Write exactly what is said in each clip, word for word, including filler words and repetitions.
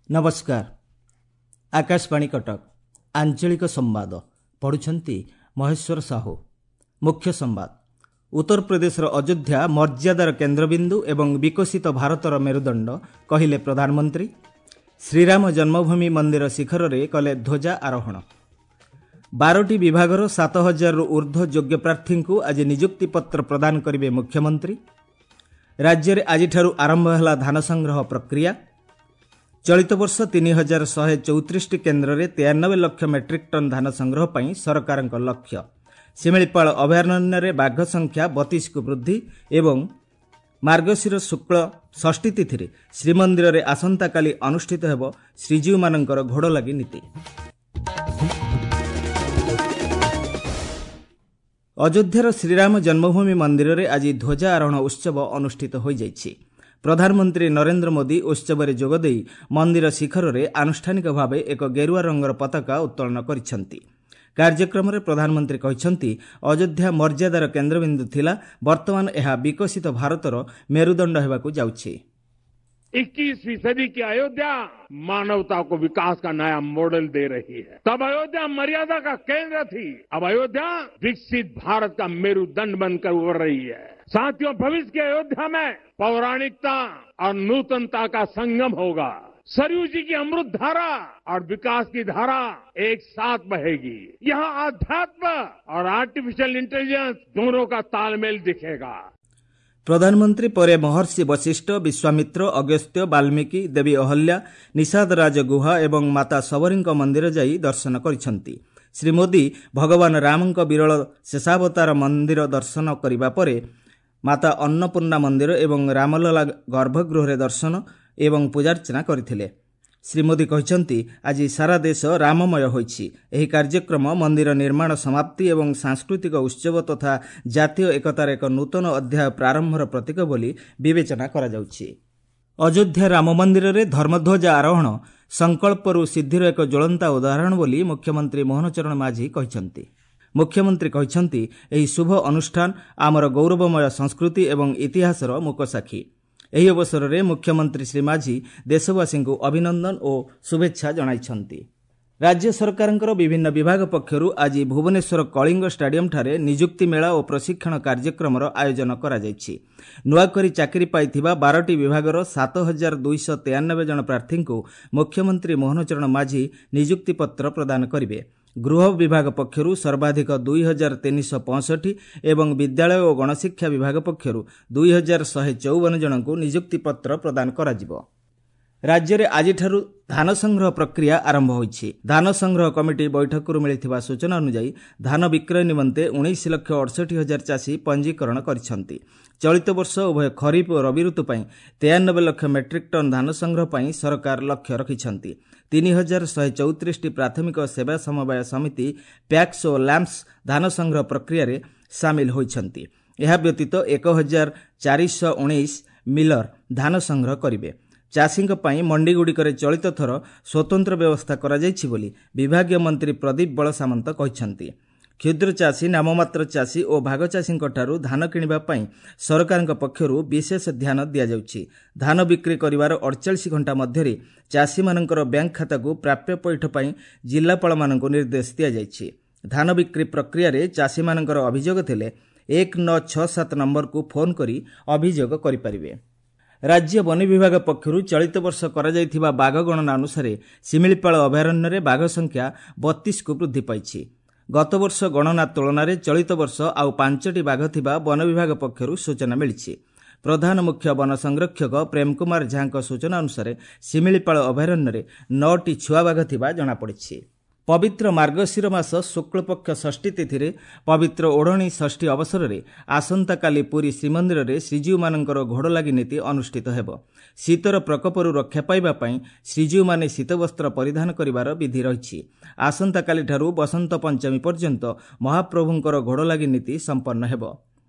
ନମସ୍କାର ଆକାଶବାଣୀ କଟକ ଆଞ୍ଚଳିକ ସମ୍ବାଦ ପଢୁଛନ୍ତି ମହେଶ୍ୱର ସାହୁ ମୁଖ୍ୟ ସମ୍ବାଦ ଉତ୍ତରପ୍ରଦେଶର ଅଯୋଧ୍ୟା ମର୍ଯ୍ୟାଦାର କେନ୍ଦ୍ରବିନ୍ଦୁ ଏବଂ ବିକଶିତ ଭାରତର ମେରୁଦଣ୍ଡ କହିଲେ ପ୍ରଧାନମନ୍ତ୍ରୀ ଶ୍ରୀରାମ ଜନ୍ମଭୂମି ମନ୍ଦିର ଶିଖରରେ କଲେ ଧ୍ୱଜା ଆରୋହଣ ବାରଟି ବିଭାଗର ସାତ ହଜାରରୁ ଉର୍ଦ୍ଧ୍ୱ ଯୋଗ୍ୟ ପ୍ରାର୍ଥୀଙ୍କୁ ଆଜି ନିଯୁକ୍ତି ପତ୍ର ପ୍ରଦାନ କରିବେ ମୁଖ୍ୟମନ୍ତ୍ରୀ ରାଜ୍ୟରେ ଆଜିଠାରୁ ଆରମ୍ଭ ହେଲା ଧାନ ସଂଗ୍ରହ ପ୍ରକ୍ରିୟା ଚଳିତ ବର୍ଷ ତିନି ହଜାର ଶହେ ଚଉତିରିଶଟି କେନ୍ଦ୍ରରେ ତେୟାନବେ ଲକ୍ଷ ମେଟ୍ରିକ୍ ଟନ୍ ଧାନ ସଂଗ୍ରହ ପାଇଁ ସରକାରଙ୍କ ଲକ୍ଷ୍ୟ ଶିମିଳିପାଳ ଅଭୟାରଣ୍ୟରେ ବାଘ ସଂଖ୍ୟା ବତିଶକୁ ବୃଦ୍ଧି ଏବଂ ମାର୍ଗଶିର ଶୁକ୍ଳ ଷଷ୍ଠୀ ତିଥିରେ ଶ୍ରୀମନ୍ଦିରରେ ଆସନ୍ତାକାଲି ଅନୁଷ୍ଠିତ ହେବ ଶ୍ରୀଜୀଉମାନଙ୍କର ଘୋଡ଼ଲାଗି ନୀତି ଅଯୋଧ୍ୟାର ଶ୍ରୀରାମ ଜନ୍ମଭୂମି ମନ୍ଦିରରେ ଆଜି ଧ୍ୱଜା ଆରୋହଣ ଉତ୍ସବ ଅନୁଷ୍ଠିତ ହୋଇଯାଇଛି ପ୍ରଧାନମନ୍ତ୍ରୀ ନରେନ୍ଦ୍ର ମୋଦି ଉତ୍ସବରେ ଯୋଗଦେଇ ମନ୍ଦିର ଶିଖରରେ ଆନୁଷ୍ଠାନିକ ଭାବେ ଏକ ଗେରୁଆ ରଙ୍ଗର ପତାକା ଉତ୍ତୋଳନ କରିଛନ୍ତି କାର୍ଯ୍ୟକ୍ରମରେ ପ୍ରଧାନମନ୍ତ୍ରୀ କହିଛନ୍ତି ଅଯୋଧ୍ୟା ମର୍ଯ୍ୟାଦାର କେନ୍ଦ୍ରବିନ୍ଦୁ ଥିଲା ବର୍ତ୍ତମାନ ଏହା ବିକଶିତ ଭାରତର ମେରୁଦଣ୍ଡ ହେବାକୁ ଯାଉଛି इक्कीसवीं सदी की अयोध्या मानवता को विकास का नया मॉडल दे रही है तब अयोध्या मर्यादा का केंद्र थी अब अयोध्या विकसित भारत का मेरुदंड बनकर उभर रही है साथियों भविष्य की अयोध्या में पौराणिकता और नूतनता का संगम होगा सरयू जी की अमृत धारा और विकास की धारा एक साथ बहेगी यहाँ आध्यात्म और आर्टिफिशियल इंटेलिजेंस दोनों का तालमेल दिखेगा ପ୍ରଧାନମନ୍ତ୍ରୀ ପରେ ମହର୍ଷି ବଶିଷ୍ଠ ବିଶ୍ୱାମିତ୍ର ଅଗସ୍ତ୍ୟ ବାଲ୍ମୀକି ଦେବୀ ଅହଲ୍ୟା ନିଷାଦରାଜ ଗୁହା ଏବଂ ମାତା ଶବରୀଙ୍କ ମନ୍ଦିର ଯାଇ ଦର୍ଶନ କରିଛନ୍ତି ଶ୍ରୀ ମୋଦି ଭଗବାନ ରାମଙ୍କ ବିରଳ ଶେଷାବତାର ମନ୍ଦିର ଦର୍ଶନ କରିବା ପରେ ମାତା ଅନ୍ନପୂର୍ଣ୍ଣା ମନ୍ଦିର ଏବଂ ରାମଲଲା ଗର୍ଭଗୃହରେ ଦର୍ଶନ ଏବଂ ପୂଜାର୍ଚ୍ଚନା କରିଥିଲେ ଶ୍ରୀ ମୋଦି କହିଛନ୍ତି ଆଜି ସାରା ଦେଶ ରାମମୟ ହୋଇଛି ଏହି କାର୍ଯ୍ୟକ୍ରମ ମନ୍ଦିର ନିର୍ମାଣ ସମାପ୍ତି ଏବଂ ସାଂସ୍କୃତିକ ଉତ୍ସବ ତଥା ଜାତୀୟ ଏକତାର ଏକ ନୂତନ ଅଧ୍ୟାୟ ପ୍ରାରମ୍ଭର ପ୍ରତୀକ ବୋଲି ବିବେଚନା କରାଯାଉଛି ଅଯୋଧ୍ୟା ରାମ ମନ୍ଦିରରେ ଧର୍ମଧ୍ୱଜା ଆରୋହଣ ସଂକଳ୍ପରୁ ସିଦ୍ଧିର ଏକ ଜ୍ୱଳନ୍ତା ଉଦାହରଣ ବୋଲି ମୁଖ୍ୟମନ୍ତ୍ରୀ ମୋହନ ଚରଣ ମାଝୀ କହିଛନ୍ତି ମୁଖ୍ୟମନ୍ତ୍ରୀ କହିଛନ୍ତି ଏହି ଶୁଭ ଅନୁଷ୍ଠାନ ଆମର ଗୌରବମୟ ସଂସ୍କୃତି ଏବଂ ଇତିହାସର ମୂକସାକ୍ଷୀ ଏହି ଅବସରରେ ମୁଖ୍ୟମନ୍ତ୍ରୀ ଶ୍ରୀ ମାଝୀ ଦେଶବାସୀଙ୍କୁ ଅଭିନନ୍ଦନ ଓ ଶୁଭେଚ୍ଛା ଜଣାଇଛନ୍ତି ରାଜ୍ୟ ସରକାରଙ୍କର ବିଭିନ୍ନ ବିଭାଗ ପକ୍ଷରୁ ଆଜି ଭୁବନେଶ୍ୱର କଳିଙ୍ଗ ଷ୍ଟାଡିୟମଠାରେ ନିଯୁକ୍ତି ମେଳା ଓ ପ୍ରଶିକ୍ଷଣ କାର୍ଯ୍ୟକ୍ରମର ଆୟୋଜନ କରାଯାଇଛି ନୂଆକରି ଚାକିରି ପାଇଥିବା ବାରଟି ବିଭାଗର ସାତ ହଜାର ଦୁଇଶହ ତେୟାନବେ ଜଣ ପ୍ରାର୍ଥୀଙ୍କୁ ମୁଖ୍ୟମନ୍ତ୍ରୀ ମୋହନ ଚରଣ ମାଝୀ ନିଯୁକ୍ତିପତ୍ର ପ୍ରଦାନ କରିବେ ଗୃହ ବିଭାଗ ପକ୍ଷରୁ ସର୍ବାଧିକ ଦୁଇ ହଜାର ତିନିଶହ ପଞ୍ଚଷଠି ଏବଂ ବିଦ୍ୟାଳୟ ଓ ଗଣଶିକ୍ଷା ବିଭାଗ ପକ୍ଷରୁ ଦୁଇ ହଜାର ଶହେ ଚଉବନ ଜଣଙ୍କୁ ନିଯୁକ୍ତିପତ୍ର ପ୍ରଦାନ କରାଯିବ ରାଜ୍ୟରେ ଆଜିଠାରୁ ଧାନ ସଂଗ୍ରହ ପ୍ରକ୍ରିୟା ଆରମ୍ଭ ହୋଇଛି ଧାନ ସଂଗ୍ରହ କମିଟି ବୈଠକରୁ ମିଳିଥିବା ସୂଚନା ଅନୁଯାୟୀ ଧାନ ବିକ୍ରୟ ନିମନ୍ତେ ଉଣେଇଶ ଲକ୍ଷ ଅଠଷଠି ହଜାର ଚାଷୀ ପଞ୍ଜୀକରଣ କରିଛନ୍ତି ଚଳିତ ବର୍ଷ ଉଭୟ ଖରିଫ ଓ ରବି ଋତୁ ପାଇଁ ତେୟାନବେ ଲକ୍ଷ ମେଟ୍ରିକ୍ ଟନ୍ ଧାନ ସଂଗ୍ରହ ପାଇଁ ସରକାର ଲକ୍ଷ୍ୟ ରଖିଛନ୍ତି ତିନି ହଜାର ଶହେ ଚଉତିରିଶଟି ପ୍ରାଥମିକ ସେବା ସମବାୟ ସମିତି ପ୍ୟାକ୍ସ ଓ ଲ୍ୟାମ୍ପସ ଧାନ ସଂଗ୍ରହ ପ୍ରକ୍ରିୟାରେ ସାମିଲ ହୋଇଛନ୍ତି ଏହା ବ୍ୟତୀତ ଏକ ହଜାର ଚାରିଶହ ଉଣେଇଶ ମିଲର ଧାନ ସଂଗ୍ରହ କରିବେ ଚାଷୀଙ୍କ ପାଇଁ ମଣ୍ଡିଗୁଡ଼ିକରେ ଚଳିତ ଥର ସ୍ୱତନ୍ତ୍ର ବ୍ୟବସ୍ଥା କରାଯାଇଛି ବୋଲି ବିଭାଗୀୟ ମନ୍ତ୍ରୀ ପ୍ରଦୀପ ବଳସାମନ୍ତ କହିଛନ୍ତି କ୍ଷୁଦ୍ର ଚାଷୀ ନାମମାତ୍ର ଚାଷୀ ଓ ଭାଗଚାଷୀଙ୍କଠାରୁ ଧାନ କିଣିବା ପାଇଁ ସରକାରଙ୍କ ପକ୍ଷରୁ ବିଶେଷ ଧ୍ୟାନ ଦିଆଯାଉଛି ଧାନ ବିକ୍ରି କରିବାର ଅଡ଼ଚାଳିଶ ଘଣ୍ଟା ମଧ୍ୟରେ ଚାଷୀମାନଙ୍କର ବ୍ୟାଙ୍କ ଖାତାକୁ ପ୍ରାପ୍ୟ ପଇଠ ପାଇଁ ଜିଲ୍ଲାପାଳମାନଙ୍କୁ ନିର୍ଦ୍ଦେଶ ଦିଆଯାଇଛି ଧାନ ବିକ୍ରି ପ୍ରକ୍ରିୟାରେ ଚାଷୀମାନଙ୍କର ଅଭିଯୋଗ ଥିଲେ ଏକ ନଅ ଛଅ ସାତ ନମ୍ବରକୁ ଫୋନ୍ କରି ଅଭିଯୋଗ କରିପାରିବେ ରାଜ୍ୟ ବନ ବିଭାଗ ପକ୍ଷରୁ ଚଳିତ ବର୍ଷ କରାଯାଇଥିବା ବାଘ ଗଣନା ଅନୁସାରେ ଶିମିଳିପାଳ ଅଭୟାରଣ୍ୟରେ ବାଘ ସଂଖ୍ୟା ବତିଶକୁ ବୃଦ୍ଧି ପାଇଛି ଗତବର୍ଷ ଗଣନା ତୁଳନାରେ ଚଳିତ ବର୍ଷ ଆଉ ପାଞ୍ଚଟି ବାଘ ଥିବା ବନ ବିଭାଗ ପକ୍ଷରୁ ସୂଚନା ମିଳିଛି ପ୍ରଧାନ ମୁଖ୍ୟ ବନ ସଂରକ୍ଷକ ପ୍ରେମ କୁମାର ଝାଙ୍କ ସୂଚନା ଅନୁସାରେ ଶିମିଳିପାଳ ଅଭୟାରଣ୍ୟରେ ନଅଟି ଛୁଆ ବାଘ ଥିବା ଜଣାପଡ଼ିଛି ପବିତ୍ର ମାର୍ଗଶିର ମାସ ଶୁକ୍ଳପକ୍ଷ ଷଷ୍ଠୀ ତିଥିରେ ପବିତ୍ର ଓଢ଼ଣୀ ଷଷ୍ଠୀ ଅବସରରେ ଆସନ୍ତାକାଲି ପୁରୀ ଶ୍ରୀମନ୍ଦିରରେ ଶ୍ରୀଜୀଉମାନଙ୍କର ଘୋଡ଼ଲାଗି ନୀତି ଅନୁଷ୍ଠିତ ହେବ ଶୀତର ପ୍ରକୋପରୁ ରକ୍ଷା ପାଇବା ପାଇଁ ଶ୍ରୀଜୀଉମାନେ ଶୀତବସ୍ତ୍ର ପରିଧାନ କରିବାର ବିଧି ରହିଛି ଆସନ୍ତାକାଲିଠାରୁ ବସନ୍ତ ପଞ୍ଚମୀ ପର୍ଯ୍ୟନ୍ତ ମହାପ୍ରଭୁଙ୍କର ଘୋଡ଼ଲାଗି ନୀତି ସମ୍ପନ୍ନ ହେବ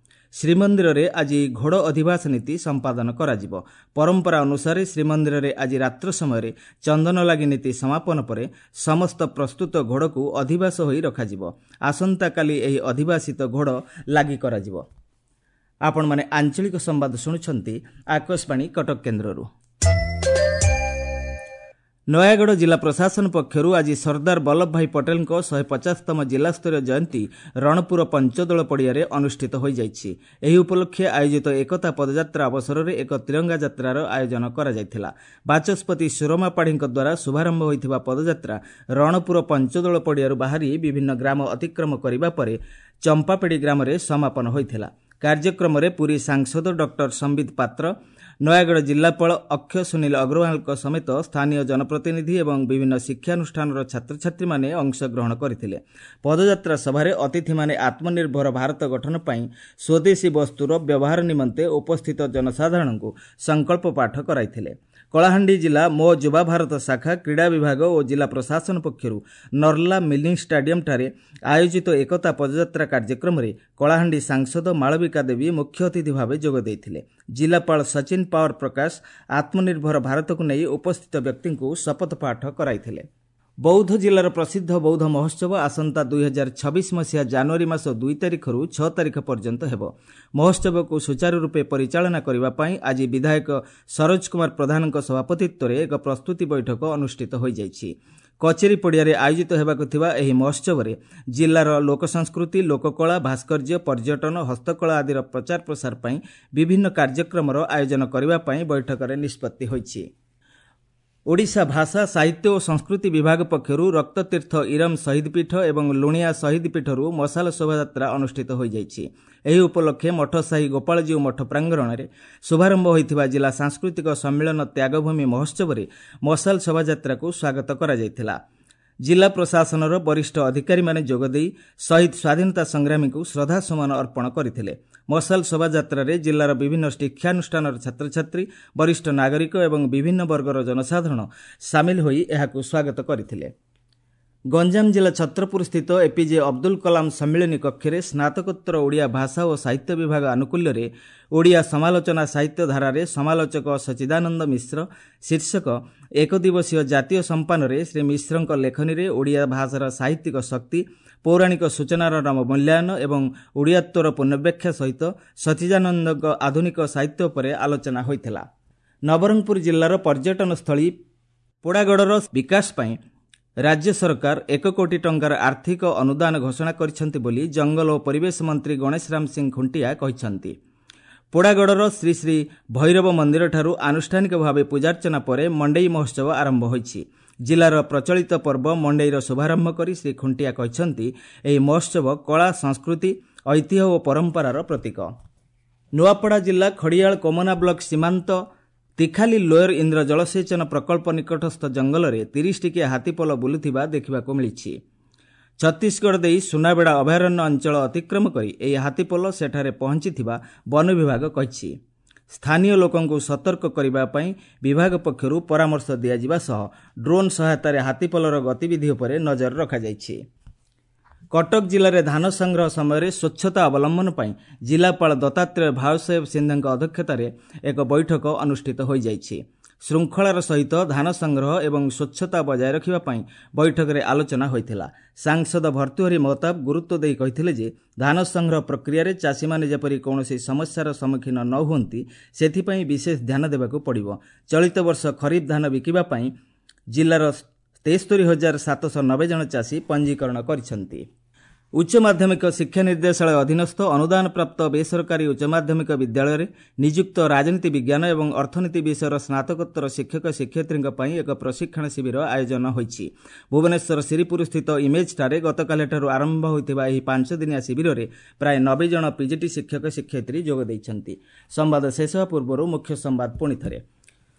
ଶ୍ରୀମନ୍ଦିରରେ ଆଜି ଘୋଡ଼ ଅଧିବାସ ନୀତି ସମ୍ପାଦନ କରାଯିବ ପରମ୍ପରା ଅନୁସାରେ ଶ୍ରୀମନ୍ଦିରରେ ଆଜି ରାତ୍ର ସମୟରେ ଚନ୍ଦନଲାଗି ନୀତି ସମାପନ ପରେ ସମସ୍ତ ପ୍ରସ୍ତୁତ ଘୋଡ଼କୁ ଅଧିବାସ ହୋଇ ରଖାଯିବ ଆସନ୍ତାକାଲି ଏହି ଅଧିବାସିତ ଘୋଡ଼ ଲାଗି କରାଯିବ ଆପଣମାନେ ଆଞ୍ଚଳିକ ସମ୍ବାଦ ଶୁଣୁଛନ୍ତି ଆକାଶବାଣୀ କଟକ କେନ୍ଦ୍ରରୁ ନୟାଗଡ଼ ଜିଲ୍ଲା ପ୍ରଶାସନ ପକ୍ଷରୁ ଆଜି ସର୍ଦ୍ଦାର ବଲ୍ଲଭ ଭାଇ ପଟେଲଙ୍କ ଶହେ ପଚାଶତମ ଜିଲ୍ଲାସ୍ତରୀୟ ଜୟନ୍ତୀ ରଣପୁର ପଞ୍ଚଦୋଳ ପଡ଼ିଆରେ ଅନୁଷ୍ଠିତ ହୋଇଯାଇଛି। ଏହି ଉପଲକ୍ଷେ ଆୟୋଜିତ ଏକତା ପଦଯାତ୍ରା ଅବସରରେ ଏକ ତ୍ରିରଙ୍ଗା ଯାତ୍ରାର ଆୟୋଜନ କରାଯାଇଥିଲା। ବାଚସ୍ପତି ସୁରମା ପାଢ଼ୀଙ୍କ ଦ୍ୱାରା ଶୁଭାରମ୍ଭ ହୋଇଥିବା ପଦଯାତ୍ରା ରଣପୁର ପଞ୍ଚଦୋଳ ପଡ଼ିଆରୁ ବାହାରି ବିଭିନ୍ନ ଗ୍ରାମ ଅତିକ୍ରମ କରିବା ପରେ ଚମ୍ପାପେଡ଼ି ଗ୍ରାମରେ ସମାପନ ହୋଇଥିଲା। କାର୍ଯ୍ୟକ୍ରମରେ ପୁରୀ ସାଂସଦ ଡକ୍ଟର ସମ୍ବିତ ପାତ୍ର, ନୟାଗଡ଼ ଜିଲ୍ଲାପାଳ ଅକ୍ଷୟ ସୁନୀଲ ଅଗ୍ରୱାଲଙ୍କ ସମେତ ସ୍ଥାନୀୟ ଜନପ୍ରତିନିଧି ଏବଂ ବିଭିନ୍ନ ଶିକ୍ଷାନୁଷ୍ଠାନର ଛାତ୍ରଛାତ୍ରୀମାନେ ଅଂଶଗ୍ରହଣ କରିଥିଲେ। ପଦଯାତ୍ରା ସଭାରେ ଅତିଥିମାନେ ଆତ୍ମନିର୍ଭର ଭାରତ ଗଠନ ପାଇଁ ସ୍ୱଦେଶୀ ବସ୍ତୁର ବ୍ୟବହାର ନିମନ୍ତେ ଉପସ୍ଥିତ ଜନସାଧାରଣଙ୍କୁ ସଂକଳ୍ପ ପାଠ କରାଇଥିଲେ। କଳାହାଣ୍ଡି ଜିଲ୍ଲା ମୋ ଯୁବା ଭାରତ ଶାଖା, କ୍ରୀଡ଼ା ବିଭାଗ ଓ ଜିଲ୍ଲା ପ୍ରଶାସନ ପକ୍ଷରୁ ନର୍ଲା ମିଲିଂ ଷ୍ଟାଡିୟମଠାରେ ଆୟୋଜିତ ଏକତା ପଦଯାତ୍ରା କାର୍ଯ୍ୟକ୍ରମରେ କଳାହାଣ୍ଡି ସାଂସଦ ମାଳବିକା ଦେବୀ ମୁଖ୍ୟ ଅତିଥି ଭାବେ ଯୋଗ ଦେଇଥିଲେ। ଜିଲ୍ଲାପାଳ ସଚିନ ପାୱାର ପ୍ରକାଶ ଆତ୍ମନିର୍ଭର ଭାରତକୁ ନେଇ ଉପସ୍ଥିତ ବ୍ୟକ୍ତିଙ୍କୁ ଶପଥ ପାଠ କରାଇଥିଲେ। ବୌଦ୍ଧ ଜିଲ୍ଲାର ପ୍ରସିଦ୍ଧ ବୌଦ୍ଧ ମହୋତ୍ସବ ଆସନ୍ତା ଦୁଇ ହଜାର ଛବିଶ ମସିହା ଜାନୁଆରୀ ମାସ ଦୁଇ ତାରିଖରୁ ଛଅ ତାରିଖ ପର୍ଯ୍ୟନ୍ତ ହେବ। ମହୋତ୍ସବକୁ ସୁଚାରୁ ରୂପେ ପରିଚାଳନା କରିବା ପାଇଁ ଆଜି ବିଧାୟକ ସରୋଜ କୁମାର ପ୍ରଧାନଙ୍କ ସଭାପତିତ୍ୱରେ ଏକ ପ୍ରସ୍ତୁତି ବୈଠକ ଅନୁଷ୍ଠିତ ହୋଇଯାଇଛି। କଚେରୀ ପଡ଼ିଆରେ ଆୟୋଜିତ ହେବାକୁ ଥିବା ଏହି ମହୋତ୍ସବରେ ଜିଲ୍ଲାର ଲୋକସଂସ୍କୃତି, ଲୋକକଳା, ଭାସ୍କର୍ଯ୍ୟ, ପର୍ଯ୍ୟଟନ, ହସ୍ତକଳା ଆଦିର ପ୍ରଚାର ପ୍ରସାର ପାଇଁ ବିଭିନ୍ନ କାର୍ଯ୍ୟକ୍ରମର ଆୟୋଜନ କରିବା ପାଇଁ ବୈଠକରେ ନିଷ୍ପତ୍ତି ହୋଇଛି। ଓଡ଼ିଶା ଭାଷା, ସାହିତ୍ୟ ଓ ସଂସ୍କୃତି ବିଭାଗ ପକ୍ଷରୁ ରକ୍ତତୀର୍ଥ ଇରମ ଶହୀଦ ପୀଠ ଏବଂ ଲୁଣିଆ ଶହୀଦ ପୀଠରୁ ମଶାଲ ଶୋଭାଯାତ୍ରା ଅନୁଷ୍ଠିତ ହୋଇଯାଇଛି। ଏହି ଉପଲକ୍ଷେ ମଠସାହି ଗୋପାଳଜୀଉ ମଠ ପ୍ରାଙ୍ଗଣରେ ଶୁଭାରମ୍ଭ ହୋଇଥିବା ଜିଲ୍ଲା ସାଂସ୍କୃତିକ ସମ୍ମିଳନ ତ୍ୟାଗଭୂମି ମହୋତ୍ସବରେ ମଶାଲ ଶୋଭାଯାତ୍ରାକୁ ସ୍ୱାଗତ କରାଯାଇଥିଲା। ଜିଲ୍ଲା ପ୍ରଶାସନର ବରିଷ୍ଠ ଅଧିକାରୀମାନେ ଯୋଗଦେଇ ଶହୀଦ ସ୍ୱାଧୀନତା ସଂଗ୍ରାମୀଙ୍କୁ ଶ୍ରଦ୍ଧାସୁମନ ଅର୍ପଣ କରିଥିଲେ। ମଶାଲ ଶୋଭାଯାତ୍ରାରେ ଜିଲ୍ଲାର ବିଭିନ୍ନ ଶିକ୍ଷାନୁଷ୍ଠାନର ଛାତ୍ରଛାତ୍ରୀ, ବରିଷ୍ଠ ନାଗରିକ ଏବଂ ବିଭିନ୍ନ ବର୍ଗର ଜନସାଧାରଣ ସାମିଲ ହୋଇ ଏହାକୁ ସ୍ୱାଗତ କରିଥିଲେ। ଗଞ୍ଜାମ ଜିଲ୍ଲା ଛତ୍ରପୁର ସ୍ଥିତ ଏପିଜେ ଅବଦୁଲ କଲାମ ସମ୍ମିଳନୀ କକ୍ଷରେ ସ୍ନାତକୋତ୍ତର ଓଡ଼ିଆ ଭାଷା ଓ ସାହିତ୍ୟ ବିଭାଗ ଆନୁକୂଲ୍ୟରେ ଓଡ଼ିଆ ସମାଲୋଚନା ସାହିତ୍ୟ ଧାରାରେ ସମାଲୋଚକ ସଚିଦାନନ୍ଦ ମିଶ୍ର ଶୀର୍ଷକ ଏକଦିବସୀୟ ଜାତୀୟ ସମ୍ପାନରେ ଶ୍ରୀ ମିଶ୍ରଙ୍କ ଲେଖନୀରେ ଓଡ଼ିଆ ଭାଷାର ସାହିତ୍ୟିକ ଶକ୍ତି, ପୌରାଣିକ ସୂଚନାର ମୂଲ୍ୟାୟନ ଏବଂ ଓଡ଼ିଆତ୍ୱର ପୁନର୍ବ୍ୟାଖ୍ୟା ସହିତ ସଚିଦାନନ୍ଦଙ୍କ ଆଧୁନିକ ସାହିତ୍ୟ ଉପରେ ଆଲୋଚନା ହୋଇଥିଲା। ନବରଙ୍ଗପୁର ଜିଲ୍ଲାର ପର୍ଯ୍ୟଟନସ୍ଥଳୀ ପୋଡ଼ାଗଡ଼ର ବିକାଶ ପାଇଁ ରାଜ୍ୟ ସରକାର ଏକ କୋଟି ଟଙ୍କାର ଆର୍ଥିକ ଅନୁଦାନ ଘୋଷଣା କରିଛନ୍ତି ବୋଲି ଜଙ୍ଗଲ ଓ ପରିବେଶ ମନ୍ତ୍ରୀ ଗଣେଶ ରାମ ସିଂ ଖୁଣ୍ଟିଆ କହିଛନ୍ତି। ପୋଡ଼ାଗଡ଼ର ଶ୍ରୀ ଶ୍ରୀ ଭୈରବ ମନ୍ଦିରଠାରୁ ଆନୁଷ୍ଠାନିକ ଭାବେ ପୂଜାର୍ଚ୍ଚନା ପରେ ମଣ୍ଡେଇ ମହୋତ୍ସବ ଆରମ୍ଭ ହୋଇଛି। ଜିଲ୍ଲାର ପ୍ରଚଳିତ ପର୍ବ ମଣ୍ଡେଇର ଶୁଭାରମ୍ଭ କରି ଶ୍ରୀ ଖୁଣ୍ଟିଆ କହିଛନ୍ତି, ଏହି ମହୋତ୍ସବ କଳା, ସଂସ୍କୃତି, ଐତିହ୍ୟ ଓ ପରମ୍ପରାର ପ୍ରତୀକ। ନୂଆପଡ଼ା ଜିଲ୍ଲା ଖଡ଼ିଆଳ କୋମନା ବ୍ଲକ ସୀମାନ୍ତ ତିଖାଲି ଲୋୟର ଇନ୍ଦ୍ର ଜଳସେଚନ ପ୍ରକଳ୍ପ ନିକଟସ୍ଥ ଜଙ୍ଗଲରେ ତିରିଶ ଟିକିଆ ହାତୀପଲ ବୁଲୁଥିବା ଦେଖିବାକୁ ମିଳିଛି। ଛତିଶଗଡ଼ ଦେଇ ସୁନାବେଡ଼ା ଅଭୟାରଣ୍ୟ ଅଞ୍ଚଳ ଅତିକ୍ରମ କରି ଏହି ହାତୀପଲ ସେଠାରେ ପହଞ୍ଚିଥିବା ବନ ବିଭାଗ କହିଛି। ସ୍ଥାନୀୟ ଲୋକଙ୍କୁ ସତର୍କ କରିବା ପାଇଁ ବିଭାଗ ପକ୍ଷରୁ ପରାମର୍ଶ ଦିଆଯିବା ସହ ଡ୍ରୋନ୍ ସହାୟତାରେ ହାତୀପଲର ଗତିବିଧି ଉପରେ ନଜର ରଖାଯାଇଛି। କଟକ ଜିଲ୍ଲାରେ ଧାନ ସଂଗ୍ରହ ସମୟରେ ସ୍ୱଚ୍ଛତା ଅବଲମ୍ବନ ପାଇଁ ଜିଲ୍ଲାପାଳ ଦତ୍ତାତ୍ରେୟ ଭାଉସାହେବ ସିନ୍ଧେଙ୍କ ଅଧ୍ୟକ୍ଷତାରେ ଏକ ବୈଠକ ଅନୁଷ୍ଠିତ ହୋଇଯାଇଛି। ଶୃଙ୍ଖଳାର ସହିତ ଧାନ ସଂଗ୍ରହ ଏବଂ ସ୍ୱଚ୍ଛତା ବଜାୟ ରଖିବା ପାଇଁ ବୈଠକରେ ଆଲୋଚନା ହୋଇଥିଲା। ସାଂସଦ ଭର୍ତ୍ତୃହରି ମହତାବ ଗୁରୁତ୍ୱ ଦେଇ କହିଥିଲେ ଯେ ଧାନ ସଂଗ୍ରହ ପ୍ରକ୍ରିୟାରେ ଚାଷୀମାନେ ଯେପରି କୌଣସି ସମସ୍ୟାର ସମ୍ମୁଖୀନ ନ ହୁଅନ୍ତି ସେଥିପାଇଁ ବିଶେଷ ଧ୍ୟାନ ଦେବାକୁ ପଡ଼ିବ। ଚଳିତ ବର୍ଷ ଖରିଫ ଧାନ ବିକିବା ପାଇଁ ଜିଲ୍ଲାର ତେସ୍ତରୀ ହଜାର ସାତଶହ ନବେ ଜଣ ଚାଷୀ ପଞ୍ଜୀକରଣ କରିଛନ୍ତି। ଉଚ୍ଚ ମାଧ୍ୟମିକ ଶିକ୍ଷା ନିର୍ଦ୍ଦେଶାଳୟ ଅଧୀନସ୍ଥ ଅନୁଦାନପ୍ରାପ୍ତ ବେସରକାରୀ ଉଚ୍ଚ ମାଧ୍ୟମିକ ବିଦ୍ୟାଳୟରେ ନିଯୁକ୍ତ ରାଜନୀତି ବିଜ୍ଞାନ ଏବଂ ଅର୍ଥନୀତି ବିଷୟର ସ୍ନାତକୋତ୍ତର ଶିକ୍ଷକ ଶିକ୍ଷୟିତ୍ରୀଙ୍କ ପାଇଁ ଏକ ପ୍ରଶିକ୍ଷଣ ଶିବିର ଆୟୋଜନ ହୋଇଛି। ଭୁବନେଶ୍ୱର ଶିରିପୁରସ୍ଥିତ ଇମେଜ୍ଠାରେ ଗତକାଲିଠାରୁ ଆରମ୍ଭ ହୋଇଥିବା ଏହି ପାଞ୍ଚ ଦିନିଆ ଶିବିରରେ ପ୍ରାୟ ନବେ ଜଣ ପିଜିଟି ଶିକ୍ଷକ ଶିକ୍ଷୟିତ୍ରୀ ଯୋଗ ଦେଇଛନ୍ତି। ସମ୍ବାଦ ଶେଷ ହେବା ପୂର୍ବରୁ ମୁଖ୍ୟ ସମ୍ବାଦ ପୁଣିଥରେ।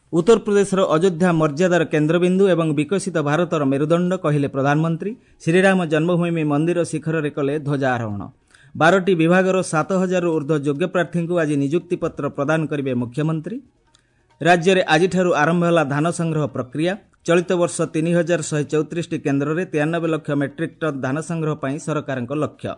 ଉତ୍ତରପ୍ରଦେଶର ଅଯୋଧ୍ୟା ମର୍ଯ୍ୟାଦାର କେନ୍ଦ୍ରବିନ୍ଦୁ ଏବଂ ବିକଶିତ ଭାରତର ମେରୁଦଣ୍ଡ କହିଲେ ପ୍ରଧାନମନ୍ତ୍ରୀ। ଶ୍ରୀରାମ ଜନ୍ମଭୂମି ମନ୍ଦିର ଶିଖରରେ କଲେ ଧ୍ୱଜାରୋହଣ। ବାରଟି ବିଭାଗର ସାତ ହଜାରରୁ ଉର୍ଦ୍ଧ୍ୱ ଯୋଗ୍ୟ ପ୍ରାର୍ଥୀଙ୍କୁ ଆଜି ନିଯୁକ୍ତିପତ୍ର ପ୍ରଦାନ କରିବେ ମୁଖ୍ୟମନ୍ତ୍ରୀ। ରାଜ୍ୟରେ ଆଜିଠାରୁ ଆରମ୍ଭ ହେଲା ଧାନ ସଂଗ୍ରହ ପ୍ରକ୍ରିୟା। ଚଳିତ ବର୍ଷ ତିନି ହଜାର ଶହେ ଚଉତିରିଶଟି କେନ୍ଦ୍ରରେ ତେୟାନବେ ଲକ୍ଷ ମେଟ୍ରିକ୍ ଟନ୍ ଧାନ ସଂଗ୍ରହ ପାଇଁ ସରକାରଙ୍କ ଲକ୍ଷ୍ୟ।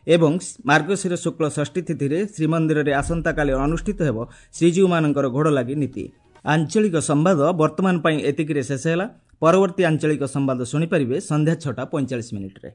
ଏବଂ ମାର୍ଗଶିର ଶୁକ୍ଳ ଷଷ୍ଠୀ ତିଥିରେ ଶ୍ରୀମନ୍ଦିରରେ ଆସନ୍ତାକାଲି ଅନୁଷ୍ଠିତ ହେବ ଶ୍ରୀଜୀଉମାନଙ୍କର ଘୋଡ଼ଲାଗି ନୀତି। ଆଞ୍ଚଳିକ ସମ୍ବାଦ ବର୍ତ୍ତମାନ ପାଇଁ ଏତିକିରେ ଶେଷ ହେଲା। ପରବର୍ତ୍ତୀ ଆଞ୍ଚଳିକ ସମ୍ବାଦ ଶୁଣିପାରିବେ ସନ୍ଧ୍ୟା ଛଅଟା ପଇଁଚାଳିଶ ମିନିଟ୍ରେ।